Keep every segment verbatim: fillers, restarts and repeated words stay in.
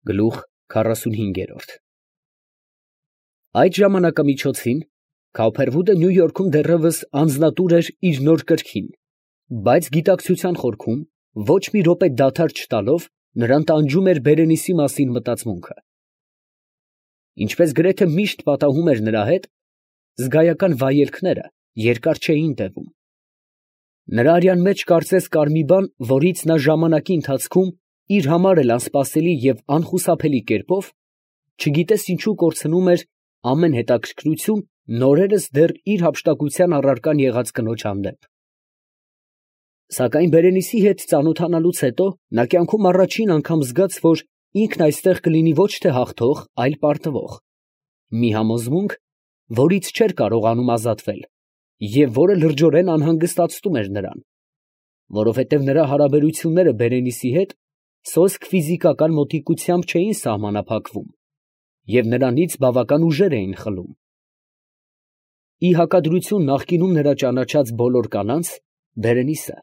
Գլուխ քառասունհինգ։ Այդ ժամանակամիջոցին Քауփերվուդը Նյու Յորքում դեռևս անձնատուր էր իր նոր կրքին, բայց գիտակցության խորքում ոչ մի րոպե դադար չտալով նրան տանջում էր Բերենիցի մասին մտածմունքը։ Ինչպես գրեթե միշտ պատահում էր նրա հետ, զգայական վայելքները երկար չէին տևում։ Նրա արյան մեջ կարծես կար մի բան, որից նա ժամանակի ընթացքում իր համար էլ անսպասելի և անխուսափելի կերպով, չգիտես ինչու կորցնում էր ամեն հետաքրքրություն նորերս դեռ իր հափշտակության առարկան եղած կնոջ հանդեպ։ Սակայն Բերենիցի հետ ծանոթանալուց հետո նա կյանքում առաջին անգամ զգաց, որ ինքն այստեղ կլինի ոչ թե հաղթող, այլ պարտվող, մի համոզմունք, որից չէր կարողանում ազատվել և որը լրջորեն անհանգստացնում էր նրան, որովհետև նրա հարաբերությունները Բերենիցի հետ սոսկ ֆիզիկական մոտիկությամբ չէին սահմանափակվում և նրանից բավական ուժեր էին խլում։ Ի հակադրություն նախկինում նրա ճանաչած բոլոր կանանց, Բերենիցը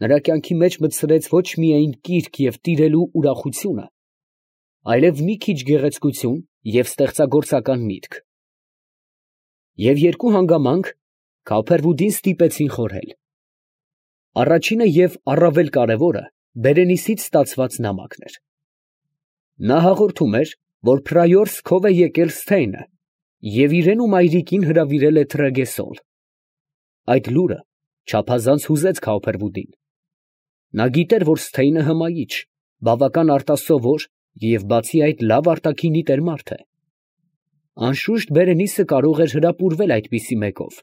նրա կյանքի մեջ մտցրեց ոչ միայն կիրք և տիրելու ուրախությունը, այլև մի քիչ գեղեցկություն և ստեղծագործական միտք։ Եվ երկու հանգամանք Քауփերվուդին ստիպեցին խորհել։ Առաջինը և առավել կարևորը Բերենիցից ստացված նամակն էր։ Նա հաղորդում էր, որ Փրայորս քով է եկել Սթեյնը և իրեն ու մայրիկին հրավիրել է Թրեգեսոլ։ Այդ լուրը չափազանց հուզեց Քауփերվուդին։ Նա գիտեր, որ Սթեյնը հմայիչ, բավական արտասովոր և բացի այդ լավ արտաքինի տեր մարդ է։ Անշուշտ Բերենիցը կարող էր հրապուրվել այդպիսի մեկով։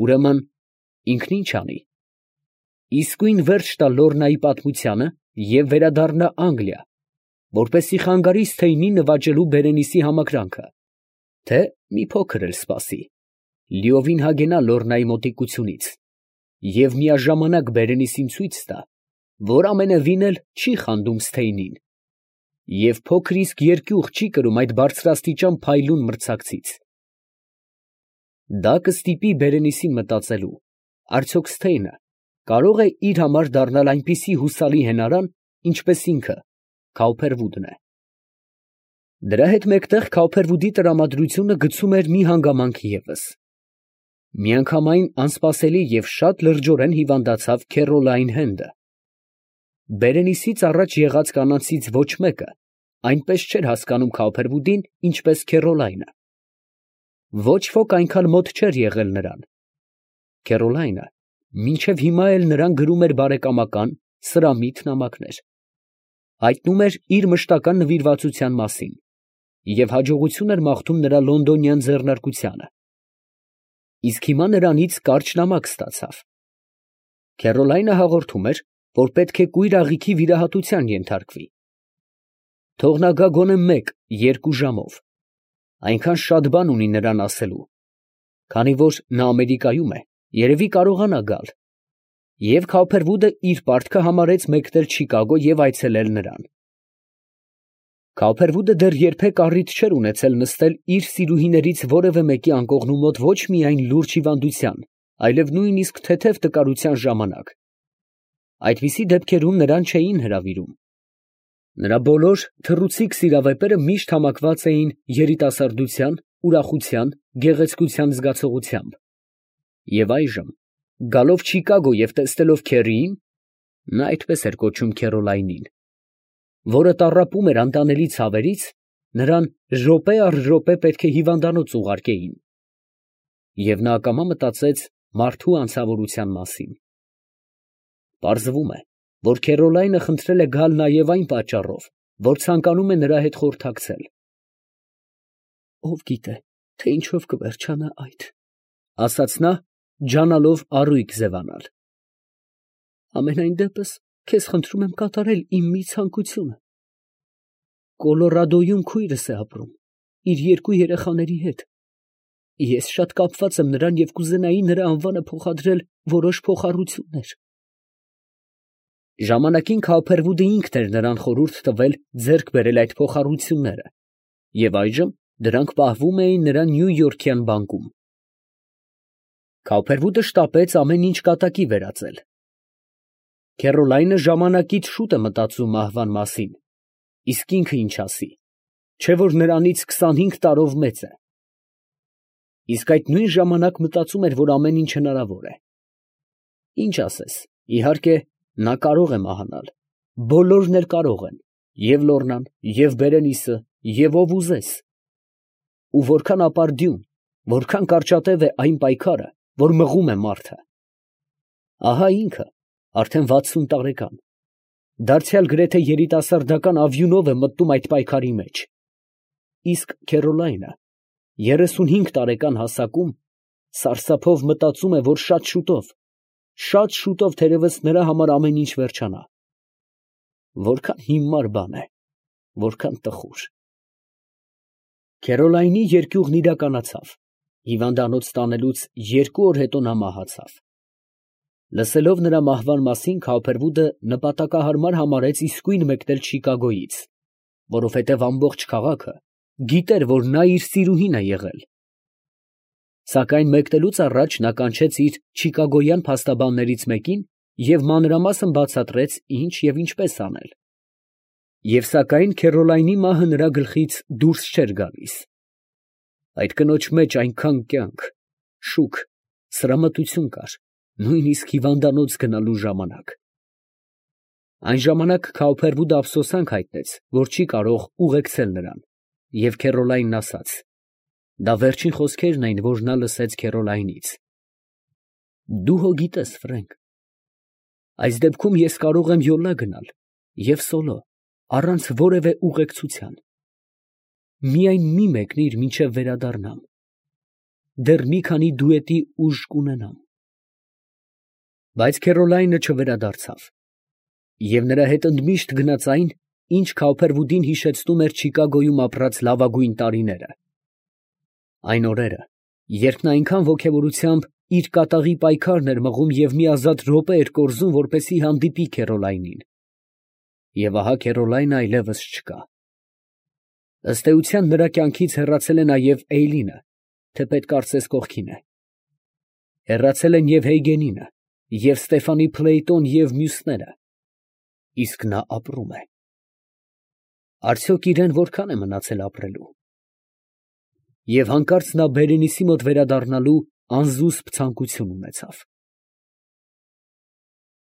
Ուրեմն ինքն ի՞նչ անի։ Իսկույն վերջ տա Լոռնայի պատմությանը և վերադառնա Անգլիա, որպեսզի խանգարի Սթեյնին նվաճելու Բերենիցի համակրանքը, թե մի փոքր էլ սպասի, լիովին հագենա Լոռնայի մոտիկությունից և միաժամանակ Բերենիցին ցույց տա, որ ամենևին էլ չի խանդում Սթեյնին և փոքր իսկ երկյուղ չի կրում այդ բարձրաստիճան փայլուն մրցակցից։ Դա կստիպի Բերենիցին մտածելու, արդյոք Սթեյնը կարո՞ղ է իր համար դառնալ այնպիսի հուսալի հենարան, ինչպես ինքը Քауփերվուդն է։ Դրա հետ մեկտեղ Քауփերվուդի տրամադրությունը գցում էր մի հանգամանք ևս. միանգամայն անսպասելի և շատ լրջորեն հիվանդացավ Քեռոլայն Հենդը։ Բերենիցից առաջ եղած կանանցից ոչ մեկը այնպես չէր հասկանում Քауփերվուդին, ինչպես Քեռոլայնը։ Ոչ ոք այնքան մոտ չէր եղել նրան։ Քեռոլայնը մինչև հիմա էլ նրան գրում էր բարեկամական, սրամիտ նամակներ, հայտնում էր իր մշտական նվիրվածության մասին և հաջողություն էր մաղթում նրա լոնդոնյան ձեռնարկությանը։ Իսկ հիմա նրանից կարճ նամակ ստացավ։ Քեռոլայնը հաղորդում էր, որ պետք է կույր աղիքի վիրահատության ենթարկվի։ Թող նա գա գոնե մեկ֊երկու ժամով, այնքան շատ բան ունի նրան ասելու, քանի որ նա Ամերիկայում է, երևի կարողանա գալ, և Քауփերվուդը իր պարտքը համարեց մեկնել Չիկագո և այցելել նրան։ Քауփերվուդը դեռ երբեք առիթ չէր ունեցել նստել իր սիրուհիներից որևէ մեկի անկողնու մոտ ոչ միայն լուրջ հիվանդության, այլև նույնիսկ թեթև տկարության ժամանակ։ Այդպիսի դեպքերում նրան չէին հրավիրում։ Նրա բոլոր թռուցիկ սիրավեպերը միշտ համակված էին երիտասարդության, ուրախության, գեղեցկության զգացողությամբ։ Եվ այժմ, գալով Չիկագո և տեսնելով Քեռիին (նա այդպես էր կոչում Քեռոլայնին), որը տառապում էր անտանելի ցավերից, նրան րոպե առ րոպե պետք է հիվանդանոց ուղարկեին։ Եվ նա ակամա մտածեց մարդու անցավորության մասին։ Պարզվում է, որ Քեռոլայնը խնդրել է գալ նաև այն պատճառով, որ ցանկանում է նրա հետ խորհրդակցել։ «Ով գիտե, թե ինչով կվերջանա այդ», ֊ ասաց նա, ջանալով առույգ ձևանալ։ «Համենայն դեպս, քեզ խնդրում եմ կատարել իմ մի ցանկությունը։ Կոլորադոյում քույրս է ապրում, իր երկու երեխաների հետ։ Ես շատ կապված եմ նրան և կուզենայի նրա անվանը փոխադրել որոշ փոխառություններ»։ Ժամանակին Քауփերվուդը ինքն էր նրան խորհուրդ տվել ձեռք բերել այդ փոխառությունները, և այժմ դրանք պահվում էին նրա նյույորքյան բանկում։ Քауփերվուդը շտապեց ամեն ինչ կատակի վերածել։ Քեռոլայնը ժամանակից շուտ է մտածում մահվան մասին, Իսկ ինքը ինչ ասի, չէ՞ որ նրանից քսանհինգ տարով մեծ է։ Իսկ այդ նույն ժամանակ մտածում էր, որ ամեն ինչ հնարավոր է։ Ինչ ասես, իհարկե, նա կարող է մահանալ, բոլորն էլ կարող են, և Լոռնան, և Բերենիսը, և ով ուզես։ Ու որքան ապարդյուն, որքան կարճատև է այն պայքարը, որ մղում է մարդը։ Ահա ինքը, արդեն վաթսուն տարեկան, դարձյալ գրեթե երիտասարդական ավյունով է մտնում այդ պայքարի մեջ։ Իսկ Քերոլայնը երեսունհինգ տարեկան հասակում սարսափով մտածում է, որ շատ շուտով, շատ շուտով թերևս նրա համար ամեն ինչ վերջանա։ Որքան հիմար բան է, որքան տխուր։ Քերոլայնի երկյուղն իրականացավ, հիվանդանոց տանելուց երկու օր հետո նա մահացավ։ Լսելով նրա մահվան մասին, Քավփերվուդը նպատակահարմար համարեց իսկույն մեկնել Չիկագոյից, որովհետև ամբողջ քաղաքը գիտեր, որ նա իր սիրուհին է եղել։ Սակայն մեկնելուց առաջ նա կանչեց իր չիկագոյան փաստաբաններից մեկին և մանրամասն բացատրեց ինչ և ինչպես անել։ Եվ սակայն Քերոլայնի մահը նրա գլխից դուրս չէր գալիս։ Այդ կնոջ մեջ այնքան կյանք, շուք, սրամտություն կար, նույնիսկ հիվանդանոց գնալու ժամանակ։ Այն ժամանակ Քավփերվուդը ափսոսանք հայտնեց, որ չի կարող ուղեկցել նրան, և Քերոլայնն ասաց. դա վերջին խոսքերն էին, որ նա լսեց Քերոլայնից։ Դու հո գիտես, Ֆրենկ, այս դեպքում ես կարող եմ յոլա գնալ և սոլո, առանց որևէ ուղեկցության։ Միայն մի մեկնիր, մինչև վերադառնամ, դեռ մի քանի դուետի ուժ կունենամ։ Բայց Քերոլայնը չվերադարձավ, և նրա հետ ընդմիշտ գնաց այն, ինչ Քավփերվուդին հիշեցնում էր Չիկագոյում ապրած լավագույն տարիները։ Այն օրերը, երբ նա այնքան ոգևորությամբ իր կատաղի պայքարն էր մղում և մի ազատ րոպե էր կորզում, որպեսզի հանդիպի Քերոլայնին։ Եվ ահա Քերոլայնը այլևս չկա։ Ըստ էության նրա կյանքից հեռացել է նաև Էյլինը, թեպետ կարծես կողքին է։ Հեռացել են և Հեյգենինը, և Ստեֆանի Փլեյտոն և մյուսները, իսկ նա ապրում է։ Արդյոք իրան որքան է մնացել ապրելու։ Եվ հանկարծ նա Բերենիսի մոտ վերադառնալու անզուսպ ցանկություն ունեցավ։